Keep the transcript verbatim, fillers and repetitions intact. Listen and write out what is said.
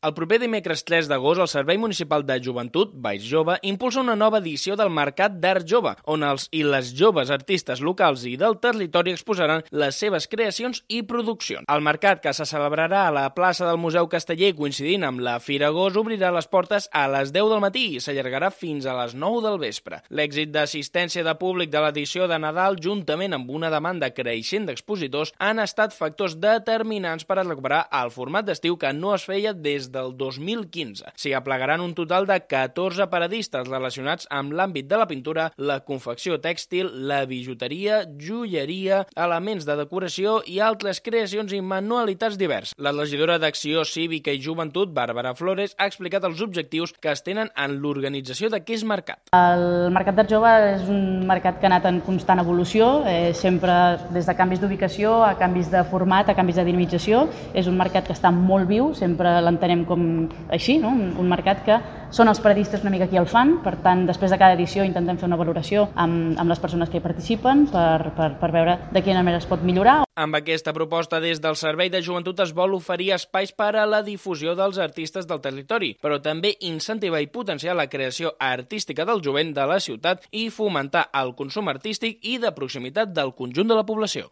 El proper dimecres tres d'agost, el Servei Municipal de Joventut, Baix Jove, impulsa una nova edició del Mercat d'Art Jove, on els i les joves artistes locals i del territori exposaran les seves creacions i produccions. El mercat, que se celebrarà a la plaça del Museu Casteller coincidint amb la Fira Gos, obrirà les portes a les deu del matí i s'allargarà fins a les nou del vespre. L'èxit d'assistència de públic de l'edició de Nadal, juntament amb una demanda creixent d'expositors, han estat factors determinants per a recuperar el format d'estiu que no es feia des del dos mil quinze. S'hi aplegaran un total de catorze paradistes relacionats amb l'àmbit de la pintura, la confecció tèxtil, la bijuteria, joieria, elements de decoració i altres creacions i manualitats diverses. La regidora d'Acció Cívica i Joventut, Bàrbara Flores, ha explicat els objectius que es tenen en l'organització d'aquest mercat. El Mercat d'Art Jove és un mercat que ha anat en constant evolució, eh, sempre des de canvis d'ubicació a canvis de format, a canvis de dinamització. És un mercat que està molt viu, sempre l'entenem com així, no? un, un mercat que són els paradistes una mica qui el fan, per tant, després de cada edició intentem fer una valoració amb, amb les persones que hi participen per, per, per veure de quina manera es pot millorar. Amb aquesta proposta, des del Servei de Joventut es vol oferir espais per a la difusió dels artistes del territori, però també incentivar i potenciar la creació artística del jovent de la ciutat i fomentar el consum artístic i de proximitat del conjunt de la població.